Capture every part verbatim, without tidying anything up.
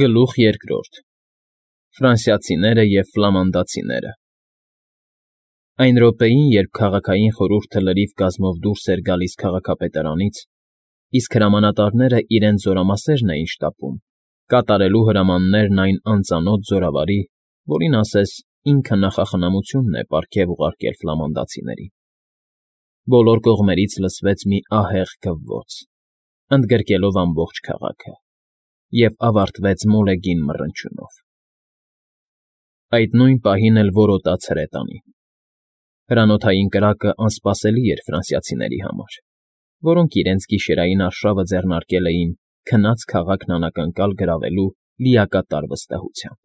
Գլուխ երկրորդ Ֆրանսիացիները և ֆլամանդացիները Այն րոպեին, երբ քաղաքային խորհուրդը լրիվ կազմով դուրս էր գալիս քաղաքապետարանից, իսկ հրամանատարները իրենց զորամասերն էին շտապում, կատարելու հրամաններն այն անծանոթ զորավարի, որին ասես ինքը նախախնամությունն է պարգև ուղարկել ֆլամանդացիներին, բոլոր կողմերից լսվեց մի ահեղ քվոց, ընդգրկելով ամբողջ քաղաքը, և ավարտվեց մոլեգին մռնչյունով. Այդ նույն պահին էլ որոտաց հրետանին. հրանոթային կրակը անսպասելի էր ֆրանսիացիների համար, որոնք իրենց գիշերային արշավը ձեռնարկել էին քնած քաղաքն անակնկալ գրավելու լիակատար վստահությամբ.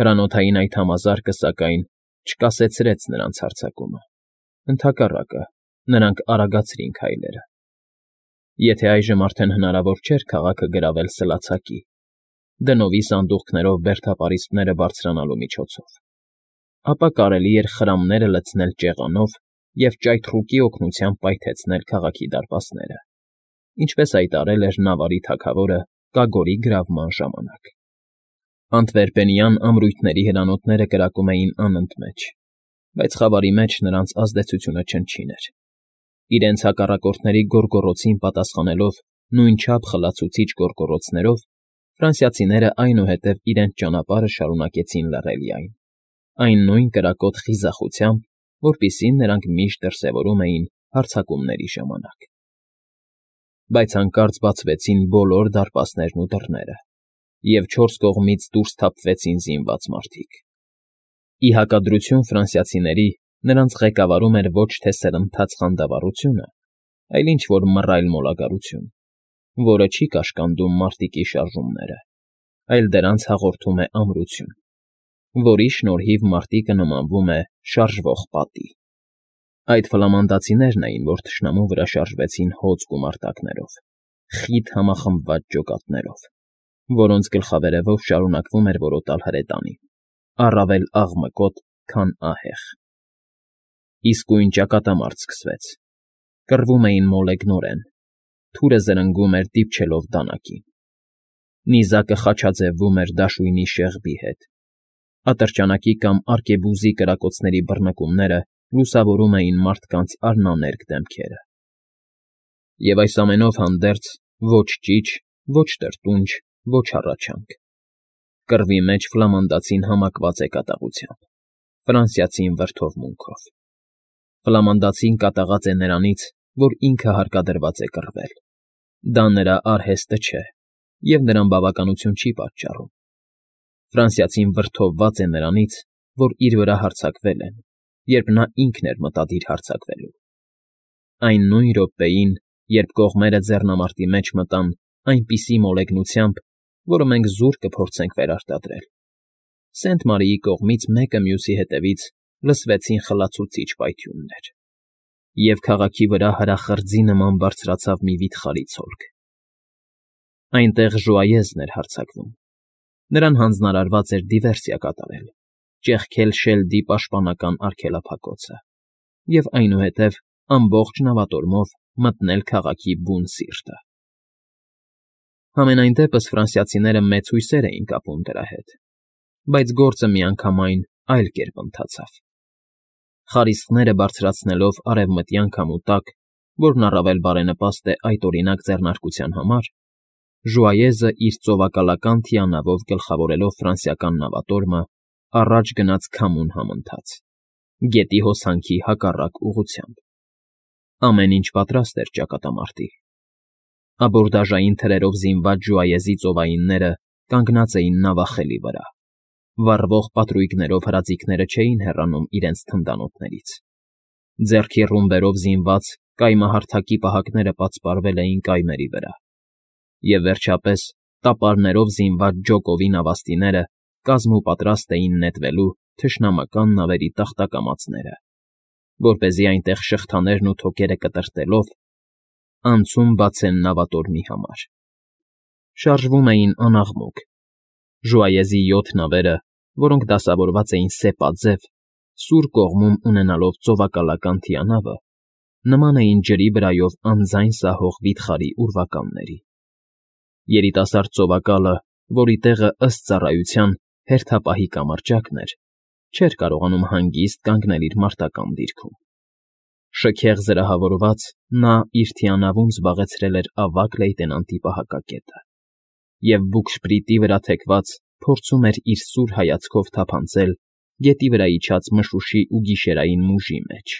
հրանոթային այդ համազարկը, սակայն, չկասեցրեց նրանց հարձակումը, ընդհակառակը, նրանք արագացրին քայլերը. եթե այժմ արդեն հնարավոր չէր քաղաքը գրավել սլացակի, դնովի սանդուղքներով բերդապարիսպները բարձրանալու միջոցով, ապա կարելի էր խրամները լցնել ճեղանով և ճայթռուկի օգնությամբ պայթեցնել քաղաքի դարպասները, ինչպես հայտարարել էր Նավարի թագավորը Կագորի գրավման ժամանակ. Անտվերպենյան ամրույթների հրանոթները կրակում էին անընդմեջ, բայց խավարի մեջ նրանց ազդեցությունը չնչին էր. իրենց հակառակորդների գոռգոռոցին պատասխանելով նույնչափ խլացուցիչ գոռգոռոցներով, ֆրանսիացիները այնուհետև իրենց ճանապարհը շարունակեցին լռելիայն, այն նույն կրակոտ խիզախությամբ, որպիսին նրանք միշտ դրսևորում էին հարձակումների ժամանակ. Բայց հանկարծ բացվեցին բոլոր դարպասներն ու դռները, և չորս կողմից դուրս թափվեցին զինված մարդիկ. ի հակադրություն ֆրանսիացիների, նրանց ղեկավարում էր ոչ թե սրընթաց խանդավառությունը, այլ ինչ֊որ մռայլ մոլագարություն, որը չի կաշկանդում մարտիկի շարժումները, այլ դրանց հաղորդում է ամրություն, որի շնորհիվ մարտիկը նմանվում է շարժվող պատի. Այդ ֆլամանդացիներն էին, որ թշնամու վրա շարժվեցին հոծ գումարտակներով, խիտ համախմբված ջոկատներով, որոնց գլխավերևով շարունակվում էր որոտալ հրետանին, առավել աղմկոտ, քան ահեղ. Իսկույն ճակատամարտ սկսվեց, կռվում էին մոլեգնորեն, թուրը զրնգում էր դիպչելով դանակին, նիզակը խաչաձևվում էր դաշույնի շեղբի հետ, ատրճանակի կամ արկեբուզի կրակոցների բռնկումները լուսավորում էին մարդկանց արնաներկ դեմքերը. և այս ամենով հանդերձ ոչ ճիչ, ոչ տրտունջ, ոչ հառաչանք. կռվի մեջ ֆլամանդացին համակված է կատաղությամբ, ֆրանսիացին վրդովմունքով. ֆլամանդացին կատաղած է նրանից, որ ինքը հարկադրված է կռվել, դա նրա արհեստը չէ և նրան բավականություն չի պատճառում, ֆրանսիացին վրդովված է նրանից, որ իր վրա հարձակվել են, երբ նա ինքն էր մտադիր հարձակվելու. այն նույն րոպեին, երբ կողմերը ձեռնամարտի մեջ մտան այնպիսի մոլեգնությամբ, որը մենք զուր կփորձենք վերարտադրել, Սենթ֊Մարիի կողմից մեկը մյուսի հետևից լսվեցին խլացուցիչ պայթյուններ, և քաղաքի վրա հրախրձի նման բարձրացավ մի վիթխարի ցոլք. այնտեղ Ժուայեզն էր հարձակվում, նրան հանձնարարված էր դիվերսիա կատարել, ճեղքել Շելդի պաշտպանական արգելափակոցը և այնուհետև ամբողջ նավատորմով մտնել քաղաքի բուն սիրտը. Համենայն դեպս ֆրանսիացիները մեծ հույսեր էին կապում դրա հետ, բայց գործը միանգամայն այլ կերպ ընթացավ. խարիսխները բարձրացնելով արևմտյան քամու տակ, որն առավել բարենպաստ է այդօրինակ ձեռնարկության համար, Ժուայեզը իր ծովակալական թիանավով գլխավորելով ֆրանսիական նավատորմը, առաջ գնաց քամուն համընթաց, գետի հոսանքի հակառակ ուղղությամբ. ամեն ինչ պատրաստ էր ճակատամարտի. աբորդաժային թրերով զինված Ժուայեզի ծովայինները կանգնած էին նավախելի վրա, վառվող պատրույգներով հրաձիգները չէին հեռանում իրենց թնդանոթներից, ձեռքի ռումբերով զինված կայմահարթակի պահակները պատսպարվել էին կայմերի վրա, և վերջապես տապարներով զինված ջոկովի նավաստիները կազմուպատրաստ էին նետվելու թշնամական նավերի տախտակամածները, որպեսզի այնտեղ շղթաներն ու թոքերը կտրտելով անցում բացեն նավատորմի համար. շարժվում էին անաղմուկ, Ժուայեզի յոթ նավերը, որոնք դասավորված էին սեպաձև, սուր կողմում ունենալով ծովակալական թիանավը, նման էին ջրի վրայով անձայն սահող վիթխարի ուրվականների. երիտասարդ ծովակալը որի տեղը, ըստ ծառայության, հերթապահի կամրջակն էր, չէր կարողանում հանգիստ կանգնել իր մարտական դիրքում։ Շքեղ զրահավորված՝ նա իր թիանավում զբաղեցրել էր ավագ լեյտենանտի պահակակետը և բուգշպրիտի վրա թեքված փորձում էր իր սուր հայացքով թափանցել գետի վրա իջած մշուշի ու գիշերային մուժի մեջ։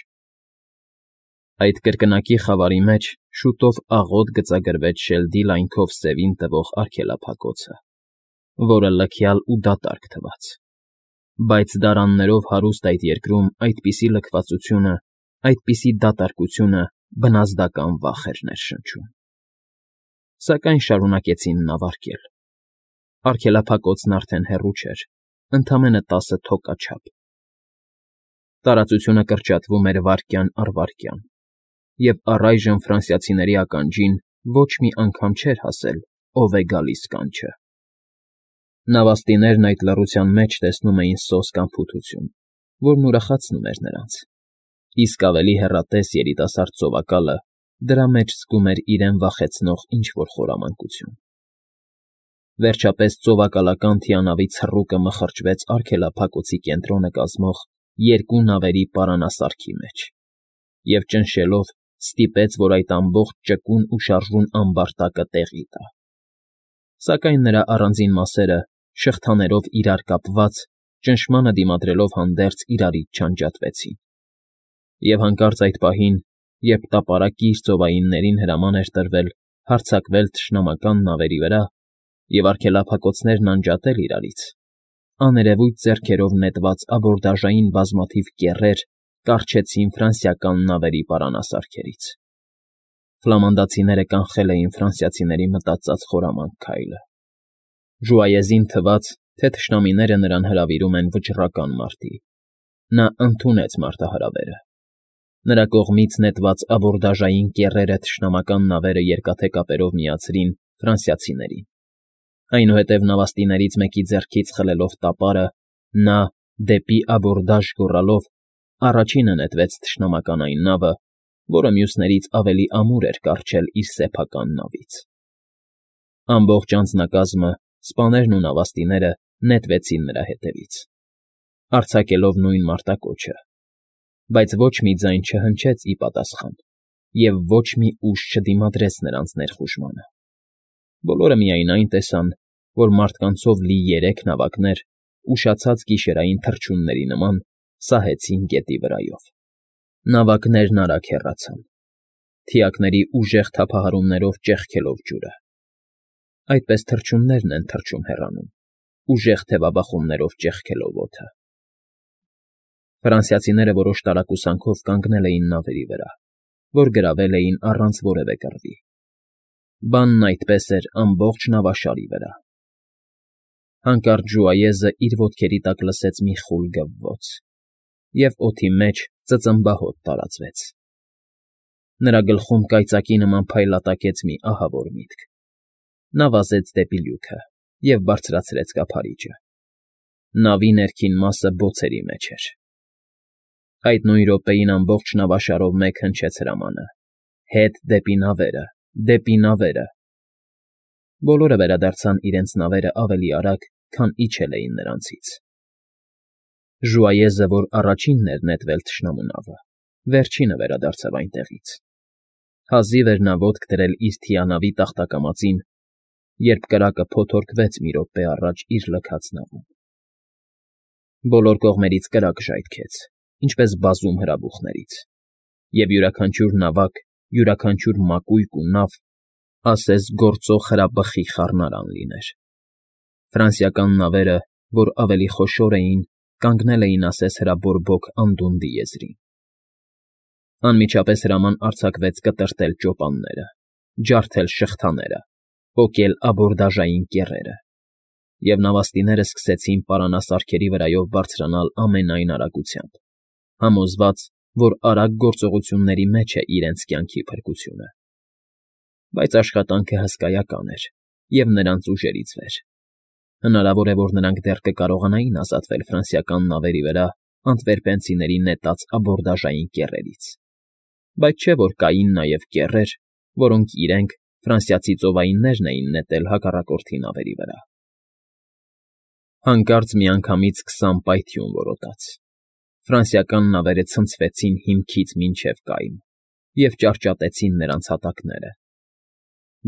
Այդ կրկնակի խավարի մեջ շուտով աղոտ գծագրվեց շելդի լայնքով սևին տվող արգելափակոցը, որը լքյալ ու դատարկ թվաց, բայց դարաններով հարուստ այդ երկրում այդպիսի լքվածությունը, այդպիսի դատարկությունը բնազդական վախ էր ներշնչում։ Սակայն շարունակեցին նավարկել։ Արգելափակոցն արդեն հեռու չէր, ընդամենը տասը թոկա չափ։ Տարածությունը կրճատվում էր վայրկյան առ վայրկյան, և առայժմ ֆրանսիացիների ականջին ոչ մի անգամ չէր հասել, ով է գալիս կանչը։ Նավաստիներն այդ լռության մեջ տեսնում էին սոսկ անփութություն, որն ուրախացնում էր նրանց, իսկ ավելի հեռատես երիտասարդ ծովակալը դրա մեջ զգում էր իրեն վախեցնող ինչ֊որ խորամանկություն։ Վերջապես ծովակալական թիանավի ցռուկը մխրճվեց արգելափակոցի կենտրոնը կազմող երկու նավերի պարանասարքի մեջ և, ճնշելով, ստիպեց, որ այդ ամբողջ ճկուն ու շարժուն ամբարտակը տեղի տա։ Սակայն նրա առանձին մասերը, շղթաներով իրար կապված, ճնշմանը դիմադրելով հանդերձ իրարից չանջատվեցին, և հանկարծ այդ պահին, երբ տապարակիր ծովայիններին հրաման էր տրվել հարձակվել թշնամական նավերի վրա և արգելափակոցներն անջատել իրարից, աներևույթ ձեռքերով նետված աբորդաժային բազմաթիվ կեռեր կառչեցին ֆրանսիական նավերի պարանասարքերից։ Ֆլամանդացիները կանխել էին ֆրանսիացիների մտածած խորամանկ քայլը։ Ժուայեզին թվաց, թե թշնամիները նրան հրավիրում են վճռական մարտի։ Նա ընդունեց մարտահրավերը։ Նրա կողմից նետված աբորդաժային կեռերը թշնամական նավերը երկաթե կապերով միացրին ֆրանսիացիներին։ Այնուհետև նավաստիներից մեկի ձեռքից խլելով տապարը, նա, դեպի աբորդաժ գոռալով, առաջինը նետվեց թշնամական այն նավը, որը մյուսներից ավելի ամուր էր կառչել իր սեփական նավից։ Ամբողջ անձնակազմը, սպաներն ու նավաստիները նետվեցին նրա հետևից, արձակելով նույն մարտակոչը, բայց ոչ մի ձայն չհնչեց ի պատասխան, և ոչ մի ուժ չդիմադրեց նրանց ներխուժմանը։ Բոլորը միայն այն տեսան, որ մարդկանցով լի երեք նավակներ, ուշացած գիշերային թռչունների նման, սահեցին գետի վրայով։ Նավակներն արագ հեռացան, թիակների ուժեղ թափահարումներով ճեղքելով ջուրը։ Այդպես թռչուններն են թռչում հեռանում, ուժեղ թևաբախումներով ճեղքելով օդը։ Ֆրանսիացիները որոշ տարակուսանքով կանգնել էին նավերի վրա, որ գրավել էին առանց որևէ կռվի։ Բանն այդպես էր ամբողջ նավաշարի վրա։ Հանկարծ Ժուայեզը իր ոտքերի տակ լսեց մի խուլ գվվոց, և օդի մեջ ծծմբահոտ տարածվեց։ Նրա գլխում կայծակի նման փայլատակեց մի ահավոր միտք։ Նա վազեց դեպի լյութը և բարձրացրեց կափարիչը։ Նավի ներքին մասը բոցերի մեջ էր։ Այդ նույն րոպեին ամբողջ նավաշարով մեկ հնչեց հրամանը. «Հետ դեպի նավերը, դեպի նավերը»։ Բոլորը վերադարձան իրենց նավերը ավելի արագ, քան իջել էին նրանցից։ Ժուայեզը, որ առաջինն էր նետվել թշնամու նավը, վերջինը վերադարձավ այնտեղից։ Հազիվ էր նա ոտք դրել իր թիանավի տախտակամածին, երբ կրակը փոթորկվեց մի րոպե առաջ իր լքած նավում։ Բոլոր կողմերից կրակ ժայթքեց, ինչպես բազում հրաբուխներից, և յուրաքանչյուր նավակ, յուրաքանչյուր մակույկ ու նավ, ասես գործող հրաբխի խառնարան լիներ։ Ֆրանսիական նավերը, որ ավելի խոշոր էին, կանգնել էին ասես հրաբորբոք անդունդի եզրին։ Անմիջապես հրաման արձակվեց կտրտել ճոպանները, ջարդել շղթաները, պոկել աբորդաժային կեռերը, և նավաստիները սկսեցին պարանասարքերի վրայով բարձրանալ ամենայն արագությամբ, համոզված, որ արագ գործողությունների մեջ է իրենց կյանքի փրկությունը։ Բայց աշխատանքը հսկայական էր և նրանց ուժերից վեր։ Հնարավոր է, որ նրանք դեռ կկարողանային ազատվել ֆրանսիական նավերի վրա անտվերպենցիների նետած աբորդաժային կեռերից, բայց չէ՞ որ կային նաև կեռեր, որոնք իրենք, ֆրանսիացի ծովայիններն էին նետել հակառակորդի նավերի վրա։ Հանկարծ միանգամից քսան պայթյուն որոտաց։ Ֆրանսիական նավերը ցնցվեցին հիմքից մինչև կայուն և ճարճատեցին նրանց հատակները։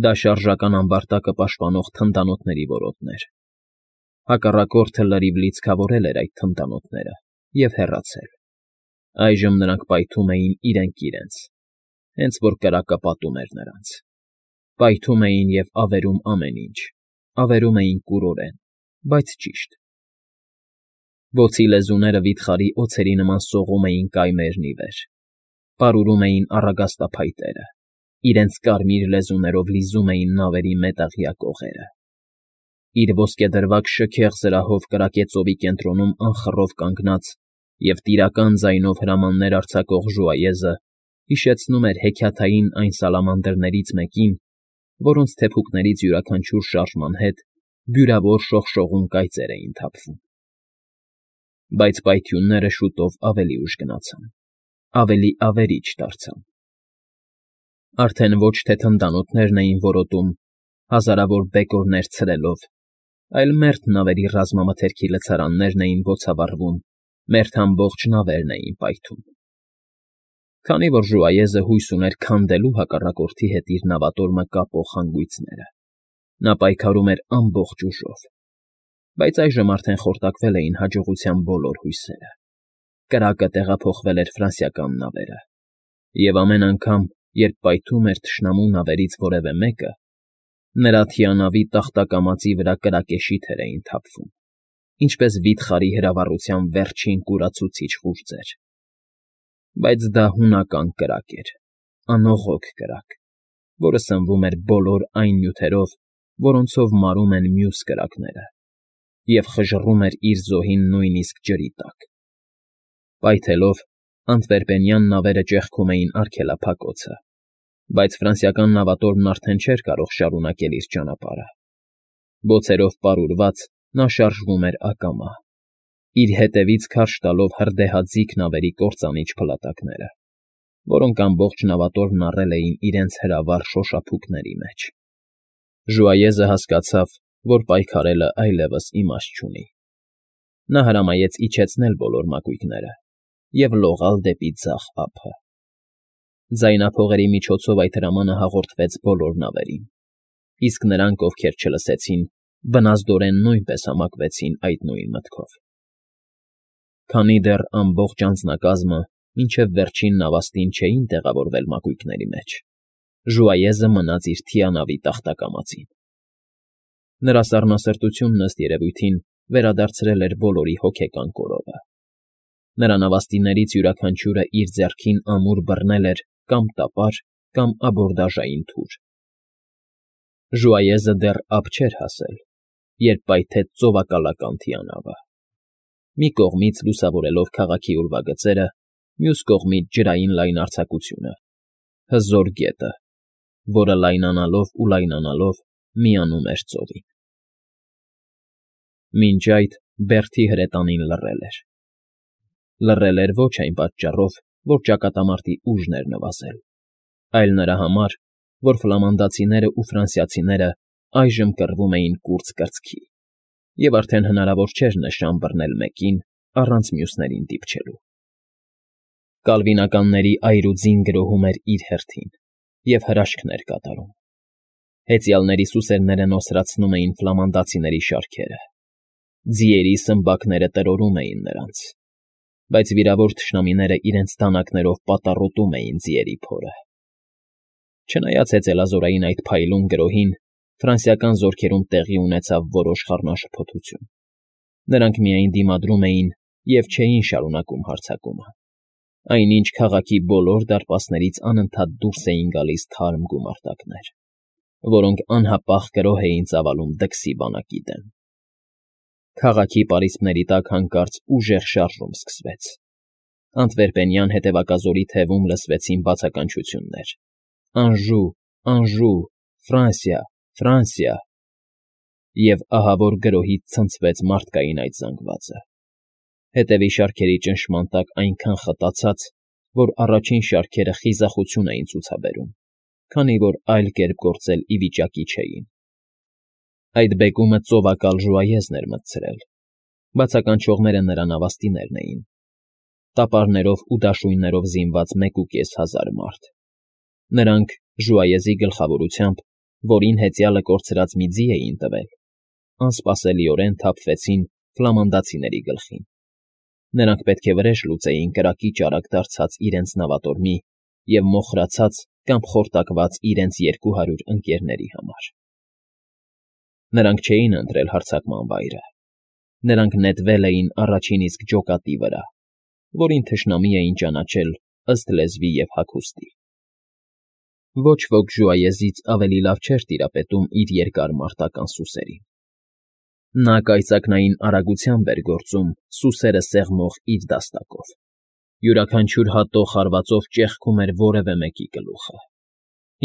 Դա շարժական ամբարտակը պաշտպանող թնդանոթների որոտն էր։ Հակառակորդը լրիվ լիցքավորել էր այդ թնդանոթները և հեռացել։ Այժմ նրանք պայթում էին իրենք իրենց, հենց որ կրակը պատում էր նրանց։ Պայթում էին և ավերում ամեն ինչ, ավերում էին կուրորեն, բայց ճիշտ։ Բոցի լեզուները վիթխարի օձերի նման սողում էին կայմերն ի վեր, պարուրում էին առագաստափայտերը, իրենց կարմիր լեզուներով լիզում էին նավերի մետաղյա կողերը։ Իր ոսկեդրվագ շքեղ զրահով կրակեցովի կենտրոնում անխռով կանգնած և տիրական ձայնով հրամաններ արձակող ժուայեզը հիշեցնում էր հեքիաթային այն սալամանդրներից մեկին, որոնց թեփուկներից յուրաքանչյուր շարժման հետ բյուրավոր շողշողուն կայծեր էին թափվում։ Բայց պայթյունները շուտով ավելի ուժ գնացան, ավելի ավերիչ դարձան։ Արդեն ոչ թե թնդանոթներն էին որոտում, հազարավոր բեկորներ ցրելով, այլ մերթ նավերի ռազմամթերքի լցարաններն էին բոցավառվում, մերթ ամբողջ նավերն էին պայթում։ Քանի որ ժուայեզը հույս ուներ քանդելու հակառակորդի հետ իր նավատորմը կապող հանգույցները, նա պայքարում էր ամբողջ ուժով, բայց այժմ արդեն խորտակվել էին հաջողության բոլոր հույսերը։ Կրակը տեղափոխվել էր ֆրանսիական նավերը, և ամեն անգամ, երբ պայթում էր թշնամու նավերից որևէ մեկը, նրա թիանավի տախտակամածի վրա կրակեշիթեր էին թափվում, ինչպես վիթխարի հրավառության վերջին կուրացուցիչ ყուრძեր։ Բայց դա հունական կրակ էր, անողոք կրակ, որը սնվում էր բոլոր այն նյութերով, որոնցով մարում են մյուս կրակները, և խժռում էր իր զոհին նույնիսկ ջրի տակ։ Պայթելով, անտվերպենյան նավերը ճեղքում էին արգելափակոցը, բայց ֆրանսիական նավատորմն արդեն չէր կարող շարունակել իր ճանապարհը։ Բոցերով պարուրված՝ նա շարժվում էր ակամա, իր ետևից քարշ տալով հրդեհաձիգ նավերի կործանիչ փլատակները, որոնք ամբողջ նավատորմն առել էին իրենց հրավառ շոշափուկների մեջ։ Ժուայեզը հասկացավ, որ պայքարելը այլևս իմաստ չունի։ Նա հրամայեց իջեցնել բոլոր մակույկները և լողալ դեպի ձախ ափը։ Ձայնափողերի միջոցով այդ հրամանը հաղորդվեց բոլոր նավերին, իսկ նրանք, ովքեր չլսեցին, բնազդորեն նույնպես համակվեցին այդ նույն մտքով։ Քանի դեռ ամբողջ անձնակազմը մինչև վերջին նավաստին չէին տեղավորվել մակույկների մեջ, ժուայեզը մնաց իր թիանավի տախտակամածին։ Նրա սառնասրտությունն, ըստ երևույթին, վերադարձրել էր բոլորի հոգեկան կորովը։ Նրա նավաստիներից յուրաքանչյուրը իր ձեռքին ամուր բռնել էր կամ տապար, կամ աբորդաժային թուր։ Ժուայեզը դեռ ափ չէր հասել, երբ պայթեց ծովակալական թիանավը։ Մի կողմից լուսավորելով քաղաքի ուրվագծերը, մյուս կողմից ջրային լայնարձակությունը, հզոր գետը, որը լայնանալով ու լայնանալով միանում էր ծովին։ Մինչ այդ Բերթի հրետանին լռել էր։ Լռել էր ոչ այն պատճառով, որ ճակատամարտի ուժն էր նվազել, այլ նրա համար, որ ֆլամանդացիներն ու ֆրանսիացիները այժմ կռվում էին կուրծ կրծքի, և արդեն հնարավոր չէր նշան բռնել մեկին առանց մյուսներին դիպչելու։ Կալվինականների այրուձին գրոհում էր իր հերթին և հրաշքներ կատարում։ Հեծյալների սուսերները նոսրացնում էին ֆլամանդացիների շարքերը, ձիերի սմբակները տրորում էին նրանց, բայց վիրավոր թշնամիները իրենց դանակներով պատառոտում էին ձիերի փորը։ Չնայած հեծելազորային այդ փայլուն գրոհին, ֆրանսիական զորքերում տեղի ունեցավ որոշ խառնաշփոթություն։ Նրանք միայն դիմադրում էին և չէին շարունակում հարձակումը։ Այնինչ քաղաքի բոլոր դարպասներից անընդհատ դուրս էին գալիս թարմ գումարտակներ, որոնք անհապաղ գրոհ էին ծավալում դքսի բանակի դեմ։ Քաղաքի պարիսպների տակ հանկարծ ուժեղ շարժում սկսվեց։ Անտվերպենյան հետևակազորի թևում լսվեցին բացականչություններ. «Անժու, Անժու, Ֆրանսիա, Ֆրանսիա», և ահավոր գրոհից ցնցվեց մարդկային այդ զանգվածը։ Հետևի շարքերի ճնշման տակ այնքան խտացած, որ առաջին շարքերը խիզախություն էին ցուցաբերում, քանի որ այլ կերպ գործել ի վիճակի չէին։ Այդ բեկումը ծովակալ ժուայեզն էր մտցրել, Բացականչողները նրա նավաստիներն էին, տապարներով ու դաշույններով զինված մեկուկես հազար մարդ. նրանք Ժուայեզի գլխավորությամբ, որին հեծյալը կորցրած մի ձի էին տվել, անսպասելիորեն թափվեցին ֆլամանդացիների գլխին. նրանք պետք է վրեժ լուծեին կրակի ճարակ դարձած իրենց նավատորմի և մոխրացած կամ խորտակված իրենց երկու հարյուր ընկերների համար. Նրանք չէին ընտրել հարձակման վայրը. նրանք նետվել էին առաջին իսկ ջոկատի վրա, որին թշնամի էին ճանաչել ըստ լեզվի և հագուստի. Ոչ ոք Ժուայեզից ավելի լավ չէր տիրապետում իր երկար մարտական սուսերին. նա կայծակնային արագությամբ էր գործում սուսերը սեղմող իր դաստակով, յուրաքանչյուր հատող հարվածով ճեղքում էր որևէ մեկի գլուխը,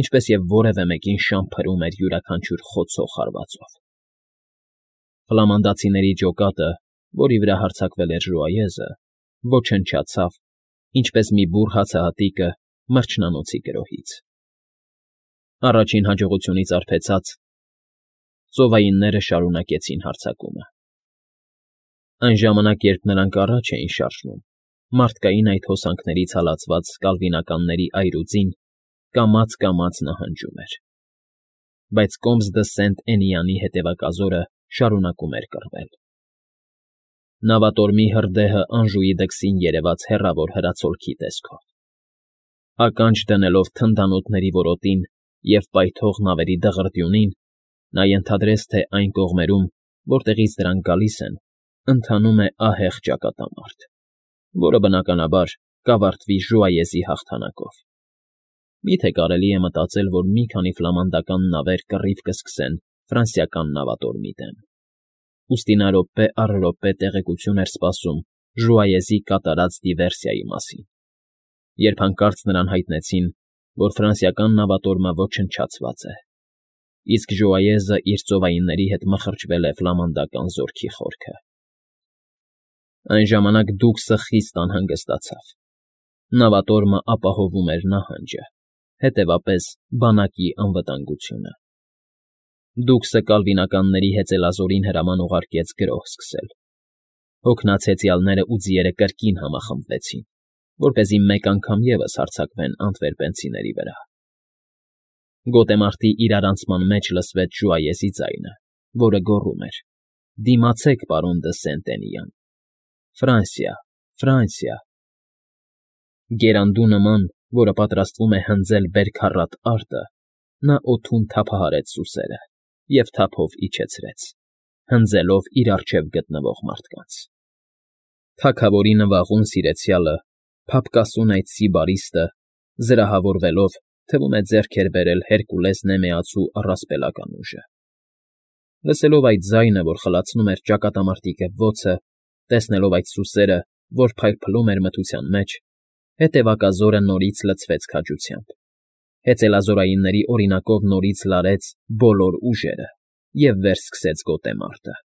ինչպես և որևէ մեկին շան փրում էր յուրաքանչյուր խոցող հարվածով. Ֆլամանդացիների ջոկատը, որի վրա հարձակվել էր Ժուայեզը, ոչնչացավ, ինչպես մի բուռ հացահատիկը մրջնանոցի գրոհից. Առաջին հաջողությունից արբեցած, ծովայինները շարունակեցին հարձակումը. Այն ժամանակ, երբ նրանք առաջ էին շարժվում, մարդկային այդ հոսանքներից հալածված կալվինականների այրուձին կամաց֊կամաց նահանջում էր, բայց Կոմս դը Սենտ֊Էնիանի հետևակազորը շարունակում էր կռվել. նավատորմի հրդեհը Անժուի դքսին երևաց հեռավոր հրացոլքի տեսքով. ականջ դնելով թնդանոթների որոտին և պայթող նավերի դղրդյունին, նա ենթադրեց, թե այն կողմերում, որտեղից դրանք գալիս են, ընթանում է ահեղ ճակատամարտ, որը, բնականաբար, կավարտվի Ժուայեզի հաղթանակով. Մի՞թե կարելի է մտածել, որ մի քանի ֆլամանդական նավեր կռիվ կսկսեն ֆրանսիական նավատորմի դեմ, ուստի նա րոպե առ րոպե տեղեկություն էր սպասում Ժուայեզի կատարած դիվերսիայի մասին, երբ հանկարծ նրան հայտնեցին, որ ֆրանսիական նավատորմը ոչնչացված է, իսկ Ժուայեզը իր ծովայինների հետ մխրճվել է ֆլամանդական զորքի խորքը։ Այն ժամանակ Դուքսը խիստ անհանգստացավ. նավատորմը ապահովում էր նահանջը, հետևապես բանակի անվտանգությունը։ Դուքսը կալվինականների հեծելազորին հրաման ուղարկեց գրոհ սկսել. հոգնած հեծյալները ու ձիերը կրկին համախմբվեցին, որպեսզի մեկ անգամ ևս հարձակվեն անտվերպենցիների վրա։ Գոտեմարտի իրարանցման մեջ լսվեց Ժուայեզի ձայնը, որը գոռում էր. «Դիմացեք, պարոն դը Սենտ֊Էնիան, Ֆրանսիա, Ֆրանսիա»։ Գերանդու նման, որը պատրաստվում է հնձել բերքառատ արտը, նա օդում թափահարեց սուսերը և թափով իջեցրեց, հնձելով իր առջև գտնվող մարդկանց։ Թագավորի նվաղուն սիրեցյալը, փափկասուն այդ սիբարիստը, զրահավորվելով, թվում է ձեռք էր բերել Հերկուլես Նեմեացու առասպելական ուժը։ Լսելով այդ ձայնը, որ խլացնում էր ճակատամարտի կվոցը, տեսնելով այդ սուսերը, որ փայլփլում էր մթության մեջ, հետևակազորը նորից լցվեց քաջությամբ, հեծելազորայինների օրինակով նորից լարեց բոլոր ուժերը և վերսկսեց գոտեմարտը։